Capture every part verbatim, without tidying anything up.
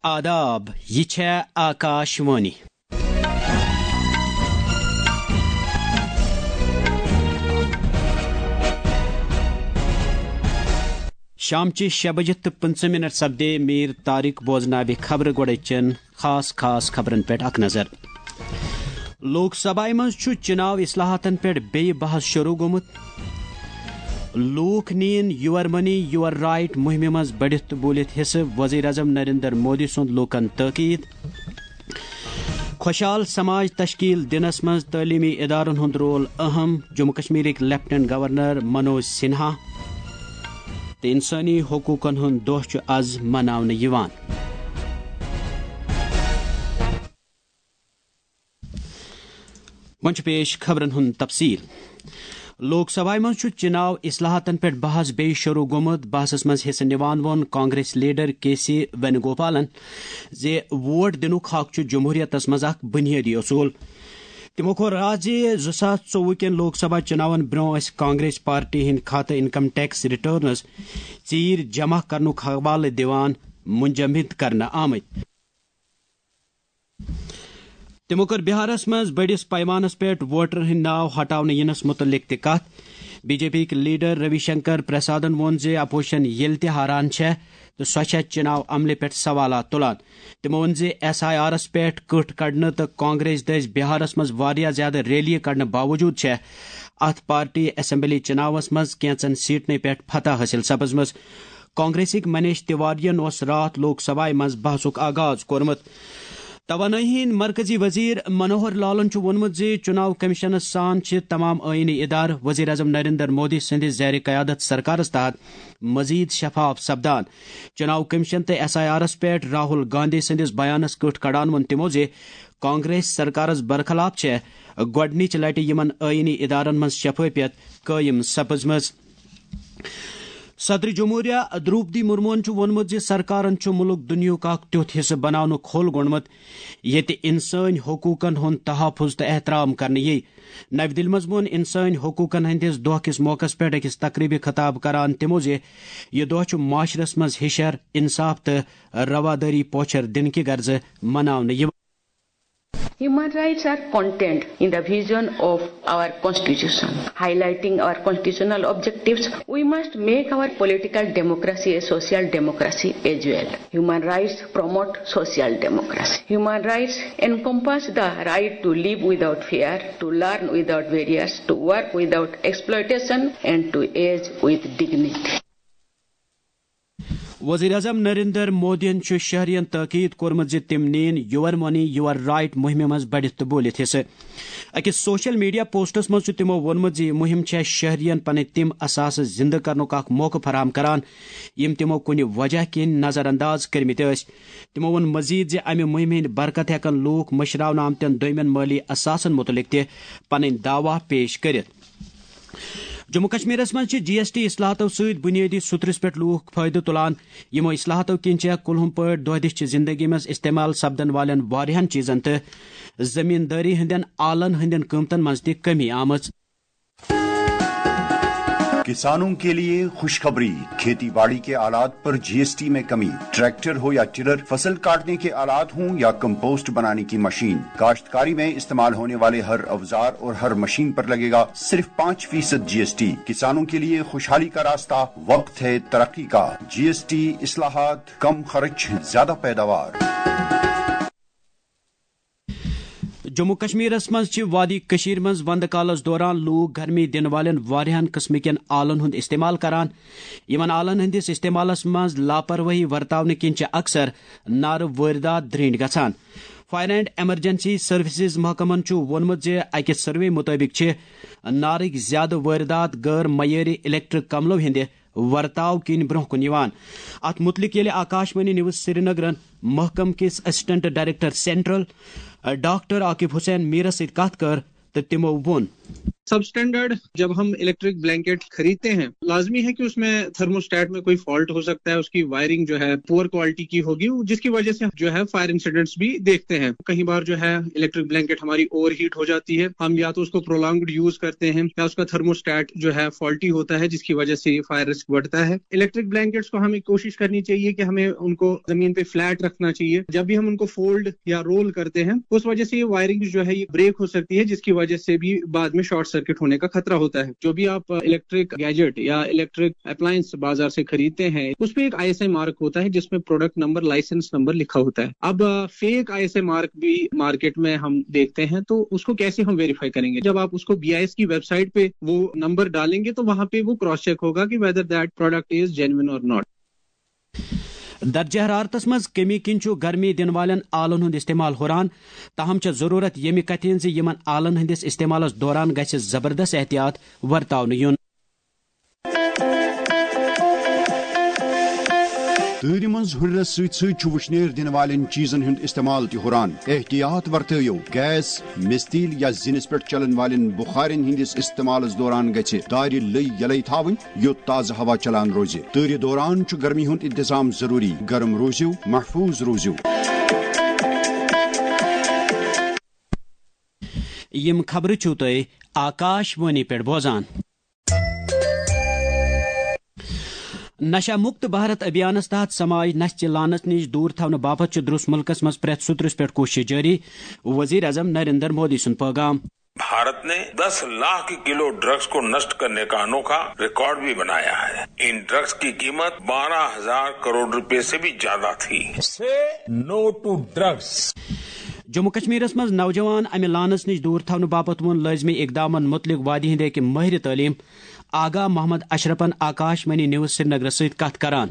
آداب، یہِ چھےٚ آکاش وانی۔ شامچہِ شےٚ بجہِ تہٕ پٕنٛژٕہ منٹ سپدے۔ میر طارق بوزناوِ خبرٕ۔ گۄڈٕ چن خاص خاص خبرن پٮ۪ٹھ اکھ نظر۔ لوک سبھایہ منٛز چھُ چناو اصلاحاتن پٮ۪ٹھ بیٚیہِ بحث شروع گوٚمُت۔ لوٗکھ نِیِن Your Money Your Right مُہِمہِ منٛز بٔڑِتھ تہٕ بوٗلِتھ حصہٕ، وزیر اعظم نریندر مودی سُنٛد لوٗکن تٲکید۔ خۄشحال سماج تشکیل دِنس منٛز تعلیمی ادارن ہُنٛد رول اہم، جموں کشمیرٕکۍ لیفٹیننٹ گورنر منوج سنہا۔ تہٕ انسٲنی حقوٗقن ہُنٛد دۄہ چھُ از مناونہٕ یِوان۔ وۄنۍ چھُ پیش خبرن ہُنٛد تفصیل۔ لوک سبھایہ منٛز چھُ چناو اصلاحاتن پٮ۪ٹھ بحث بیٚیہِ شروع گوٚمُت۔ بحثس منٛز حصہٕ نِوان ووٚن کانگریس لیڈر کے سی وینوگوپالن زِ ووٹ دِنُک حق چھُ جمہوریتس منٛز اکھ بنیٲدی اصوٗل۔ تِمو کوٚر راز زِ زٕ ساس ژوٚوُہ کٮ۪ن لوک سبھا چناون برٛونٛہہ ٲسۍ کانگریس پارٹی ہٕنٛدۍ کھاتہٕ انکم ٹیکس ریٹرنز ژیٖرۍ جمع کرنُک حوالہٕ دِوان منجمد کرنہٕ آمٕتۍ۔ تِمو کٔر بہارس منٛز بٔڑِس پیمانس پٮ۪ٹھ ووٹرن ہٕنٛدۍ ناو ہٹاونہٕ یِنس مُتعلق تہِ کتھ۔ بی جے پی یِکۍ لیڈر روی شنکر پرسادن ووٚن زِ اپوزیشن ییٚلہِ تہِ ہاران چھےٚ تہٕ سۄ چھےٚ چناو عملہِ پٮ۪ٹھ سوالات تُلان۔ تِمو ووٚن زِ ایس آئی آرس پٮ۪ٹھ کٕٹھ کڑنہٕ تہٕ کانگریس دٔسۍ بہارس منٛز واریاہ زیادٕ ریلیہِ کڑنہٕ باوجود چھےٚ اتھ پارٹی اسمبلی چناوس منٛز کینژن سیٹنٕے پٮ۪ٹھ فتح حٲصِل سپٕزمٕژ۔ کانگریسٕکۍ منیش تیواریَن اوس راتھ لوک سبھایہ منٛز بحثُک آغاز کوٚرمُت۔ توانٲیی ہٕنٛدۍ مرکزی وزیر منوہر لالن چھُ ووٚنمُت زِ چناو کمیشنس سان چھِ تمام آئینی ادارٕ وزیر اعظم نریندر مودی سٕنٛدِ زیر قیادت سرکارس تحت مزید شفاف سپدان۔ چناو کمیشن تہٕ ایس آئی آرس پٮ۪ٹھ راہل گاندھی سٕنٛدِس بیانس کٕٹھ کڑان ووٚن تِمو زِ کانگریس سرکارس برخلاف چھےٚ گۄڈٕنِچ لٹہِ یِمن آئینی ادارن منٛز شفافیت قٲیِم سپٕزمٕژ۔ صدر جمہوریہ دروپدی مرموہن چھُ ووٚنمُت زِ سرکارن چھُ مُلک دُنیاہُک اکھ تیُتھ حصہٕ بناونُک حل گوٚنڈمُت، ییٚتہِ انسٲنی حقوٗقن ہُنٛد تحفظ تہٕ احترام کرنہٕ یِیہِ۔ نَوِ دِلہِ منٛز ووٚن انسٲنی حقوٗقن ہٕنٛدِس دۄہ کِس موقعس پٮ۪ٹھ أکِس تقریبہِ خطاب کران تِمو زِ یہِ دۄہ چھُ معاشرس منٛز ہِشر، انصاف تہٕ روادٲری پوچھر دِنہٕ کہِ غرضہٕ مناونہٕ یِوان۔ Human rights are contained in the vision of our constitution. Highlighting our constitutional objectives, we must make our political democracy a social democracy as well. Human rights promote social democracy. Human rights encompass the right to live without fear, to learn without barriers, to work without exploitation, and to age with dignity. وزیر اعظم نریندر مودیَن چھُ شہرین تاکید کوٚرمُت زِ تِم نِیِن Your Money Your Right مُہِمہِ منٛز بٔڑِتھ تہٕ بوٗلِتھ حصہٕ۔ أکِس سوشل میڈیا پوسٹس منٛز چھُ تِمو ووٚنمُت زِ یہِ مُہِم چھےٚ شہرین پنٕنۍ تِم اثاثہٕ زِنٛدٕ کرنُک اکھ موقعہٕ فراہم کران، یِم تِمو کُنہِ وجہ کِنۍ نظر انداز کٔرمٕتۍ ٲسۍ۔ تِمو ووٚن مزید زِ امہِ مُہِمہِ ہٕنٛدۍ برکت ہٮ۪کن لوٗکھ مٔشراونہٕ آمتٮ۪ن دوٚیمٮ۪ن مٲلی اثاثن مُتعلق تہِ پنٕنۍ دعویٰ پیش کٔرِتھ۔ جموں کشمیرس منٛز چھِ جی ایس ٹی اصلاحاتو سۭتۍ بنیٲدی سترس پٮ۪ٹھ لوٗکھ فٲیدٕ تُلان۔ یِمو اصلاحاتو کِنۍ چھےٚ کُلہُم پٲٹھۍ دۄہ دِش چہِ زندگی منٛز استعمال سپدن والٮ۪ن واریاہن چیزن تہٕ زمیندٲری ہٕنٛدٮ۪ن آلن ہٕنٛدٮ۪ن قۭمتن منٛز تہِ کمی آمٕژ۔ किसानों के लिए खुशखबरी, खेती बाड़ी के आलात पर जीएसटी में कमी। ट्रैक्टर हो या टिलर, फसल काटने के आलात हों या कंपोस्ट बनाने की मशीन, काश्तकारी में इस्तेमाल होने वाले हर अवजार और हर मशीन पर लगेगा सिर्फ पाँच फीसद जीएसटी। किसानों के लिए खुशहाली का रास्ता, वक्त है तरक्की का। जीएसटी इस्लाहात, कम खर्च, ज्यादा पैदावार। جموں کشمیرس منٛز چھِ وادی کٔشیٖر منٛز وندٕ کالس دوران لوٗکھ گرمی دِنہٕ والٮ۪ن واریاہن قٕسمہٕ کٮ۪ن آلن ہُنٛد استعمال کران۔ یِمن آلن ہٕنٛدِس استعمالس منٛز لاپرواہی ورتاونہٕ کِنۍ چھِ اکثر نارٕ وٲرۍدات درٛنٛڈۍ گژھان۔ فائر اینڈ ایمرجنسی سروسز محکمن چھُ ووٚنمُت زِ اَکہِ سروے مُطٲبِق چھِ نارٕکۍ زیادٕ وٲرۍدات غٲر معیٲری الیکٹرک کملو ہٕنٛدِ ورتاو کِنۍ برٛونٛہہ کُن یِوان۔ اَتھ مُتعلِق ییٚلہِ آکاشوانی نیوز سرینگرن محکمہٕ کِس assistant director central, doctor Aqib Hussain Mirs سۭتۍ کتھ کٔر تہٕ تِمو ووٚن۔ سب اسٹینڈرڈ جب ہم الیکٹرک بلینکٹ خریدتے ہیں، لازمی ہے کہ اس میں تھرموسٹیٹ میں کوئی فالٹ ہو سکتا ہے، اس کی وائرنگ جو ہے پور کوالٹی کی ہوگی، جس کی وجہ سے جو ہے فائر انسیڈنٹس بھی دیکھتے ہیں۔ کئی بار جو ہے الیکٹرک بلینکٹ ہماری اوور ہیٹ ہو جاتی ہے، ہم یا تو اس کو پرولانگڈ یوز کرتے ہیں یا اس کا تھرموسٹیٹ جو ہے فالٹی ہوتا ہے، جس کی وجہ سے یہ فائر رسک بڑھتا ہے۔ الیکٹرک بلینکٹس کو ہمیں کوشش کرنی چاہیے کہ ہمیں ان کو زمین پہ فلیٹ رکھنا چاہیے۔ جب بھی ہم ان کو فولڈ یا رول کرتے ہیں، اس وجہ سے یہ وائرنگ جو ہے یہ بریک ہو سکتی ہے، جس کی وجہ سے بھی بعد میں شارٹ سرکٹ ہونے کا خطرہ ہوتا ہے۔ جو بھی آپ الیکٹرک گیجٹ یا الیکٹرک اپلائنس بازار سے خریدتے ہیں، اس پہ ایک آئی ایس آئی مارک ہوتا ہے، جس میں پروڈکٹ نمبر، لائسنس نمبر لکھا ہوتا ہے۔ اب fake I S I mark بھی مارکیٹ میں ہم دیکھتے ہیں، تو اس کو کیسے ہم ویریفائی کریں گے؟ جب آپ اس کو بی آئی ایس کی ویب سائٹ پہ وہ نمبر ڈالیں گے، تو وہاں پہ وہ کراس چیک ہوگا کہ whether that product is genuine or not۔ درجہ حرارتس منٛز کمی کِنۍ چھُ گرمی دِنہٕ والٮ۪ن آلن ہُنٛد استعمال ہُران۔ تاہم چھےٚ ضروٗرت ییٚمہِ کتھِ ہٕنٛز زِ یِمن آلن ہٕنٛدِس استعمالس دوران گژھِ زبردست احتیاط ورتاونہٕ یُن۔ تۭرِ منٛز ہُرنس سۭتۍ سۭتۍ چھُ وُشنیر دِنہٕ والٮ۪ن چیٖزن ہُنٛد استعمال تہِ ہُران۔ احتیاط ورتٲیِو، گیس، مِستیٖل یا زِنِس پٮ۪ٹھ چلن والٮ۪ن بُخارٮ۪ن ہٕنٛدِس استعمالس دوران گژھِ دارِ لٔۍ یلے تھاوٕنۍ، یوٚت تازٕ ہوا چلان روزِ۔ تۭرِ دوران چھُ گرمی ہُنٛد انتظام ضروٗری۔ گرم روٗزِو، محفوٗظ روٗزِو۔ یِم خبرٕ چھِو تُہۍ آکاش وانی پٮ۪ٹھ بوزان۔ نشہ مکت بھارت ابھیانس تحت سماج نشہ چہِ لعنت نِش دوٗر تھاونہٕ باپتھ چھُ درٛس مُلکس منٛز پرٛٮ۪تھ سُترس پٮ۪ٹھ کوٗشش جٲری، وزیر اعظم نریندر مودی سُنٛد پٲغام۔ भारत ने दस लाख किलो ड्रग्स को नष्ट करने का अनोखा रिकॉर्ड भी बनाया है। इन ड्रग्स की कीमत बारह हजार करोड़ रुपए से भी ज्यादा थी। Say no to drugs. Jammu کشمیرس منٛز نوجوان امہِ لعنت نِش دوٗر تھاونہٕ باپتھ ووٚن لٲزمی اقدامن مُتعلق وادی ہٕنٛدِ أکۍ مٲہرِ تعلیٖم آغا محمد اشرفن آکاش وانی نیوز سرینگرس سۭتۍ کتھ کران۔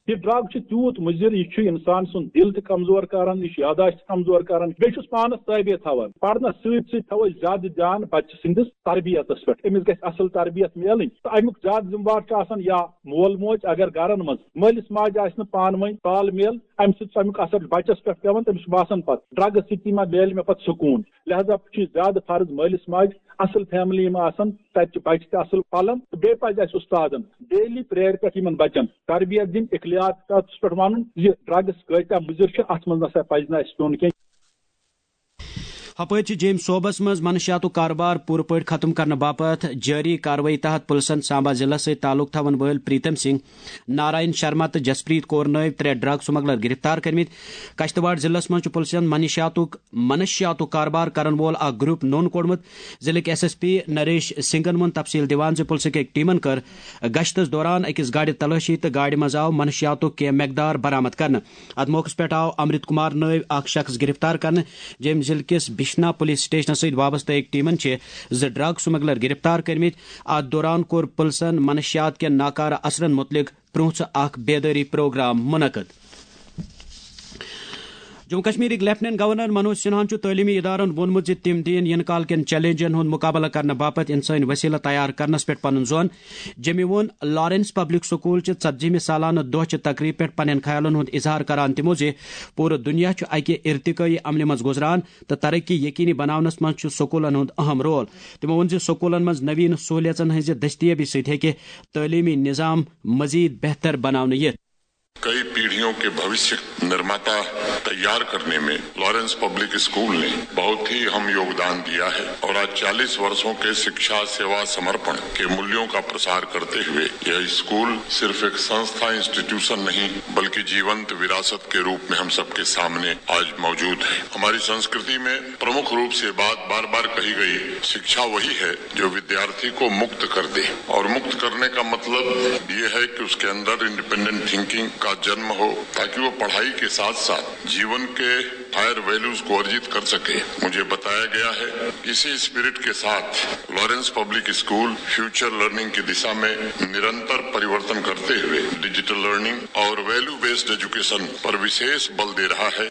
یہ ڈرگ چھُ تیوٗت مُضر، یہِ چھُ انسان سُنٛد دل تہِ کمزور کران، یہِ چھُ یاداشت تہِ کمزور کران، بیٚیہِ چھُس پانس تٲبیہ تھاوان۔ پرنس سۭتۍ سۭتۍ تھاوو أسۍ زیادٕ دیان بچہٕ سٕنٛدِس تربیتس پٮ۪ٹھ، أمِس گژھِ اصل تربیت میلٕنۍ۔ تہٕ امیُک زیادٕ ذمہٕ وار چھُ آسان یا مول موج، اگر گرن منٛز مٲلِس ماجہِ آسہِ نہٕ پانہٕ ؤنۍ تال میل، امہِ سۭتۍ چھُ امیُک اثر بچس پٮ۪ٹھ پٮ۪وان، تٔمِس چھُ باسان پتہٕ ڈرگس سۭتۍ ما میلہِ مےٚ پتہٕ سکوٗن۔ لہذا چھُ یہِ زیادٕ فرض مٲلِس ماجہِ اصل فیملی یِم آسن، تتہِ چھِ بچہِ تہِ اصل پلان۔ تہٕ بیٚیہِ پزِ اسہِ استادن ڈیلی پریئر پٮ۪ٹھ یِمن بچن تربیت دِنۍ، اخلاقیاتس پٮ۪ٹھ ونُن زِ ڈرگس کۭتیاہ مُضر چھِ، اتھ منٛز نسا پزِ نہٕ اسہِ پیوٚن کینٛہہ۔ ہپٲرۍ چھِ جیٚمۍ صوبس منٛز منشیاتُک کاربار پوٗرٕ پٲٹھۍ ختم کرنہٕ باپتھ جٲری کاروٲیی تحت پُلسن سامبا ضلعس سۭتۍ تعلق تھاون وٲلۍ پریتم سنگھ، نارائن شرما تہٕ جسپریت کور نٲوۍ ترٛےٚ ڈرگ سمگلر گرفتار کٔرمٕتۍ۔ کشتواڑ ضلعس منٛز چھُ پُلسن منشیاتُک منشیاتُک کاربار کرن وول اکھ گروپ نوٚن کوٚڑمُت۔ ضلعٕکۍ ایس ایس پی نریش سنگھن ووٚن تفصیل دِوان زِ پُلسٕکۍ أکۍ ٹیمن کٔر گشتس دوران أکِس گاڑِ تلٲشی تہٕ گاڑِ منٛز آو منشیاتُک کینٛہہ مقدار برآمد کرنہٕ۔ اتھ موقعس پٮ۪ٹھ آو امرت کمار نٲوۍ اکھ شخص گرفتار کرنہٕ۔ جیٚمۍ ضلعہٕ کِس بشنا پولیس سٹیشنس سۭتۍ وابستہٕ أکۍ ٹیمن چھِ زٕ ڈرگ سمگلر گرفتار کٔرمٕتۍ۔ اتھ دوران کوٚر پُلسن منشیات کٮ۪ن ناکارٕ اثرن مُتعلق پرٛونٛژھ اکھ بیدٲری پروگرام منعقد۔ جموں کشمیرٕکۍ لیفٹیننٹ گورنر منوج سنہاہن چھُ تعلیمی ادارن ووٚنمُت زِ تِم دِیِن یِنہٕ کال کٮ۪ن چیلنجن ہُنٛد مُقابلہٕ کرنہٕ باپتھ انسٲنی وسیلہٕ تیار کرنس پٮ۪ٹھ پنُن زون۔ جیٚمۍ ووٚن لارنس پبلک سکول چہِ ژتجیمہِ سالانہٕ دۄہ چہِ تقریبہِ پٮ۪ٹھ پننٮ۪ن خیالن ہُنٛد اظہار کران تِمو زِ پوٗرٕ دُنیا چھُ اکہِ ارتقٲیی عملہِ منٛز گُزران تہٕ ترقی یقینی بناونس منٛز چھُ سکولن ہُنٛد اہم رول۔ تِمو ووٚن زِ سکولن منٛز نوین سہولیژن ہٕنٛزِ دٔستیٲبی سۭتۍ ہیٚکہِ تعلیمی نظام مزید بہتر بناونہٕ یِتھ۔ कई पीढ़ियों के भविष्य निर्माता तैयार करने में लॉरेंस पब्लिक स्कूल ने बहुत ही अहम योगदान दिया है और आज चालीस वर्षों के शिक्षा, सेवा, समर्पण के मूल्यों का प्रसार करते हुए यह स्कूल सिर्फ एक संस्था, इंस्टीट्यूशन नहीं, बल्कि जीवंत विरासत के रूप में हम सबके सामने आज मौजूद है। हमारी संस्कृति में प्रमुख रूप से बात बार बार कही गई, शिक्षा वही है जो विद्यार्थी को मुक्त कर दे। और मुक्त करने का मतलब ये है कि उसके अंदर इंडिपेंडेंट थिंकिंग का जन्म हो, ताकि वो पढ़ाई के साथ साथ जीवन के हायर वैल्यूज को अर्जित कर सके। मुझे बताया गया है, इसी स्पिरिट के साथ Lawrence public school future learning की दिशा में निरंतर परिवर्तन करते हुए डिजिटल लर्निंग और वैल्यू बेस्ड एजुकेशन पर विशेष बल दे रहा है।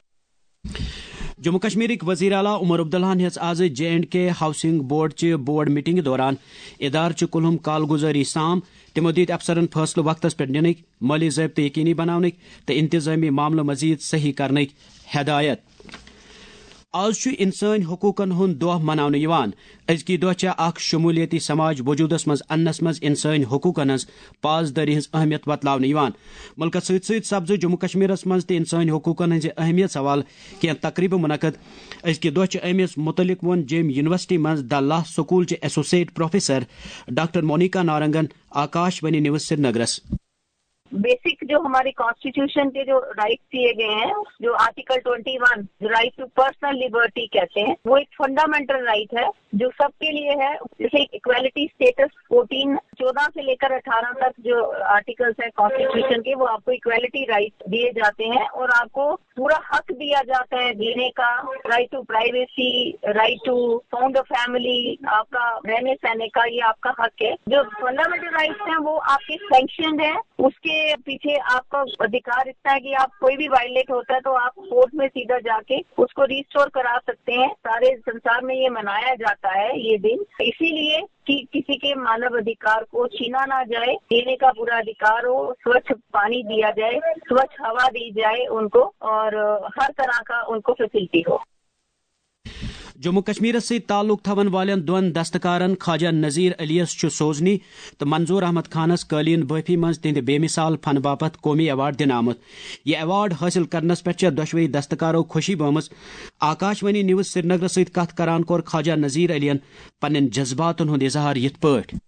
جموں کشمیرٕکۍ وزیر اعلیٰ عمر عبداللہن ہیٚژ آز J and K housing board چہِ بورڈ میٹنگہِ دوران ادارٕ چہِ کُلہُم کالگزٲری سام۔ تِمو دِتۍ افسرن فٲصلہٕ وقتس پٮ۪ٹھ نِنٕکۍ، مٲلی ضٲبطہٕ یقینی بناونٕکۍ تہٕ انتظٲمی معاملہٕ مزید صحیح کرنٕکۍ ہدایت۔ آز چھُ انسٲنی حقوقن ہُنٛد دۄہ مناونہٕ یِوان۔ أزکی دۄہ چھےٚ اکھ شمولیتی سماج وجودس منٛز اننس منٛز انسٲنی حقوقن ہٕنٛز پاسدٲری ہٕنٛز اہمیت وۄتلاونہٕ یِوان۔ مُلکس سۭتۍ سۭتۍ سپزٕ جموں کشمیرس منٛز تہِ انسٲنی حقوقن ہٕنٛزِ اہمیت حوالہٕ کینٛہہ تقریبہٕ منعقد۔ أزکہِ دۄہ چھِ أمِس مُتعلق ووٚن جے ایم یونیورسٹی منٛز دَ لا سکوٗل چہِ ایسوسیٹ پروفیسر ڈاکٹر مونیکا نارنگن آکاش وانی نیوز سرینگرس۔ بیسک جو ہمارے کانسٹیٹیوشن کے جو رائٹ دیے گئے ہیں، جو article twenty one, right to personal liberty کہتے ہیں، وہ ایک فنڈامنٹل رائٹ ہے جو سب کے لیے ہے۔ جیسے اکویلٹی اسٹیٹس فورٹین، چودہ سے لے کر اٹھارہ تک جو آرٹیکلز ہیں کانسٹیٹیوشن کے، وہ آپ کو اکویلٹی رائٹ دیے جاتے ہیں اور آپ کو پورا حق دیا جاتا ہے جینے کا، right to privacy, right to found a family, آپ کا رہنے سہنے کا یہ آپ کا حق ہے۔ جو فنڈامنٹل رائٹس ہیں وہ آپ کے سینکشنڈ ہیں، اس کے پیچھے آپ کا ادھیکار اتنا ہے کہ آپ کوئی بھی وائلیٹ ہوتا ہے تو آپ کورٹ میں سیدھا جا کے اس کو ریسٹور کرا سکتے ہیں۔ سارے سنسار میں یہ منایا جاتا ہے یہ دن، اسی لیے کہ کسی کے مانو ادھیکار کو چھینا نہ جائے، پینے کا پورا ادھیکار ہو، سوچھ پانی دیا جائے، سوچھ ہوا دی جائے ان کو، اور ہر طرح کا ان کو فیسلٹی ہو۔ جموں کشمیرس سۭتۍ تعلق تھاون والٮ۪ن دۄن دستکارن خواجہ نذیر علیس چھُ سوزنی تہٕ منظور احمد خانس قٲلیٖن بٲفی منٛز تِہنٛدِ بے مثال فن باپتھ قومی ایوارڈ دِنہٕ آمُت۔ یہِ ایوارڈ حٲصِل کرنس پٮ۪ٹھ چھےٚ دۄشوے دستکارو خوشی بٲومٕژ۔ آکاش وانی نیوز سرینگرس سۭتۍ کتھ کران کوٚر خواجہ نذیر علین پننٮ۪ن جذباتن ہُنٛد اظہار یِتھ پٲٹھۍ۔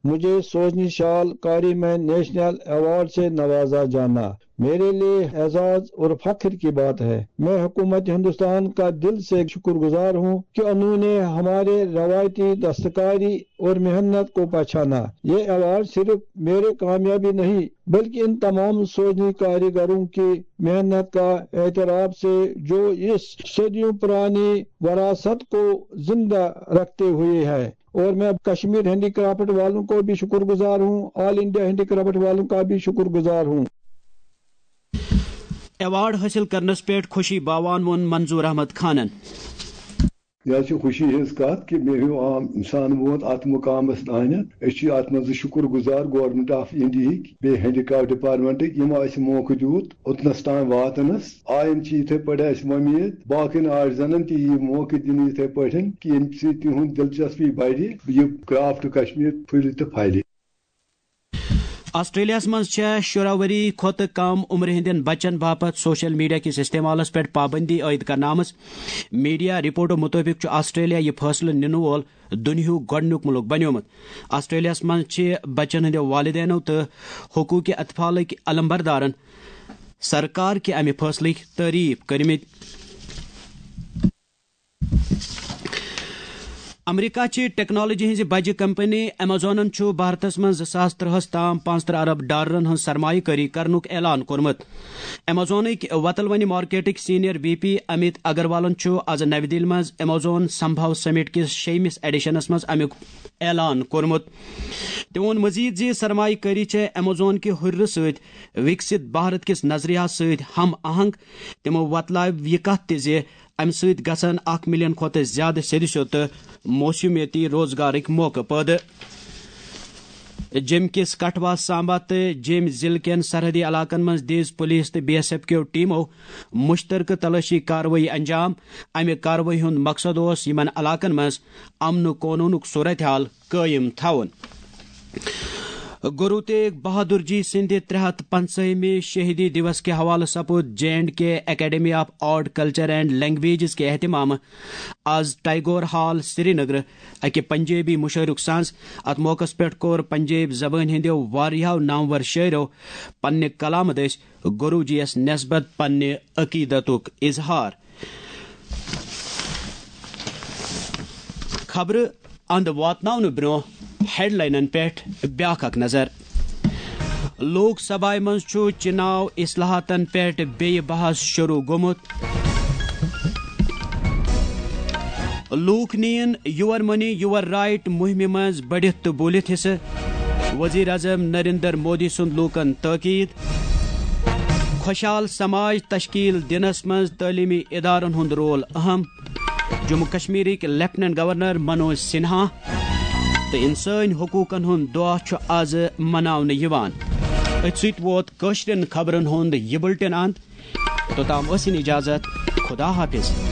مجھے سوزنی شال کاری میں نیشنل ایوارڈ سے نوازا جانا میرے لیے اعزاز اور فخر کی بات ہے۔ میں حکومت ہندوستان کا دل سے شکر گزار ہوں کہ انہوں نے ہمارے روایتی دستکاری اور محنت کو پہچانا۔ یہ ایوارڈ صرف میرے کامیابی نہیں بلکہ ان تمام سوزنی کاریگروں کی محنت کا اعتراف سے جو اس صدیوں پرانی وراثت کو زندہ رکھتے ہوئے ہے۔ اور میں کشمیر ہینڈی کرافٹ والوں کو بھی شکر گزار ہوں، آل انڈیا ہینڈی کرافٹ والوں کا بھی شکر گزار ہوں۔ ایوارڈ حٲصِل کرنس پٮ۪ٹھ خوشی باوان ووٚن منظور احمد خانن۔ یہِ حظ چھِ خوشی ہٕنٛز کتھ کہِ مےٚ ہیوٗ عام انسان ووت اتھ مقامس تانٮ۪تھ۔ أسۍ چھِ اتھ منٛز شُکر گُزار گورنمنٹ آف انڈیہٕکۍ، بیٚیہِ ہینڈی کرافٹ ڈپارٹمنٹٕکۍ، یِمو اسہِ موقعہٕ دیُت اوٚتنس تام واتنس۔ آیندٕ چھِ یِتھے پٲٹھۍ اسہِ وۄمید باقین آرٹزنن تہِ یہِ موقعہٕ دِنہٕ یِتھے پٲٹھۍ کہِ ییٚمہِ سۭتۍ تِہُنٛد دلچسپی بڑِ، یہِ کرافٹ کشمیر پھٕلہِ تہٕ پھلہِ۔ آسٹریلیاہس منٛز چھےٚ شُراہ ؤری کھۄتہٕ کم عمرِ ہٕنٛدٮ۪ن بچن باپتھ سوشل میڈیا کِس استعمالس پٮ۪ٹھ پابندی عائد کرنہٕ آمٕژ۔ میڈیا رپورٹو مُطٲبِق چھُ آسٹریلیا یہِ فٲصلہٕ نِنہٕ وول دُنیاہُک گۄڈٕنیُک مُلک بنیومُت۔ آسٹریلیاہس منٛز چھِ بچن ہٕنٛدٮ۪و والدینو تہٕ حقوٗقی اطفالٕکۍ علمبردارن سرکار کہِ امہِ فٲصلٕکۍ تعریف کٔرمٕتۍ۔ امریکہ چہِ ٹیکنالوجی ہٕنٛزِ بجہِ کمپنی ایمیزونن چھُ بھارتس منٛز زٕ ساس ترٛہس تام پانٛژترٕہ ارب ڈالرن ہٕنٛز سرمایہ کٲری کرنُک اعلان کوٚرمُت۔ ایمیزونٕکۍ وتلونی مارکیٹٕکۍ سینئر وی پی امیت اگروالن چھُ از نَوِ دِلہِ منٛز ایمیزون سمبھو سمٹ کِس شیٚیمِس ایڈیشنس منٛز امیُک اعلان کوٚرمُت۔ تٔمۍ ووٚن مزید زِ سرمایہ کٲری چھےٚ ایمیزون کہِ ہُرِرٕ سۭتۍ وکست بھارت کِس نظریہس سۭتۍ ہم آہنگ۔ تِمو وۄتلٲو یہِ کتھ تہِ زِ امہِ سۭتۍ گژھن اکھ ملین کھۄتہٕ زیادٕ سیٚدِ سیوٚد تہٕ موسمیٲتی روزگارٕکۍ موقعہٕ پٲدٕ۔ جیٚمہِ کِس کٹھوا، سامبا تہٕ جیٚمہِ ضلعہٕ کٮ۪ن سرحدی علاقن منٛز دِژ پُلیٖس تہٕ بی ایس ایف کیو ٹیمو مُشترکہٕ تلٲشی کاروٲیی انجام۔ امہِ کاروٲیی ہُنٛد مقصد اوس یِمن علاقن منٛز امن و قونوٗنُک صورتحال قٲیِم تھاوُن۔ گرو تیگ بہادر جی سٕنٛدِ ترٛےٚ ہتھ پنٛژاہمہِ شہیدی دیوس کہِ حوالہٕ سپُد J and K academy of art, culture and languages کہِ اہتمامہٕ آز ٹیگور ہال، سرینگر، اکہِ پنجٲبی مُشٲعرُک سنز۔ اتھ موقعس پٮ۪ٹھ کوٚر پنجٲبۍ زبٲنۍ ہٕنٛدیو واریاہو نامور شٲعرو پننہِ کلامہٕ دٔسۍ گرو جی یس نسبت پننہِ عقیدتُک اظہار۔ خبرٕ اند واتناونہٕ برونٛہہ ہیڈلاینن پٮ۪ٹھ بیاکھ اکھ نظر۔ لوک سبھایہ منٛز چھُ چناو اصلاحاتن پٮ۪ٹھ بیٚیہِ بحث شروع گوٚمُت۔ لوٗکھ نِیِن یور مٔنی یور رایٹ مُہِمہِ منٛز بٔڑِتھ تہٕ بوٗلِتھ حصہٕ۔ وزیر اعظم نریندر مودی سُنٛد لوٗکن تٲکیٖد۔ خۄشحال سماج تشکیل دِنس منٛز تعلیمی ادارن ہُنٛد رول اہم۔ جموں کشمیرٕکۍ لیفٹیننٹ گورنر منوج سنہا تہٕ انسٲنۍ حقوٗقن ہُنٛد دۄہ چھُ از مناونہٕ یِوان۔ أتھۍ سۭتۍ ووت کٲشرٮ۪ن خبرن ہُنٛد یہِ بُلٹن اند۔ توٚتام ٲسِن اجازت، خدا حافظ۔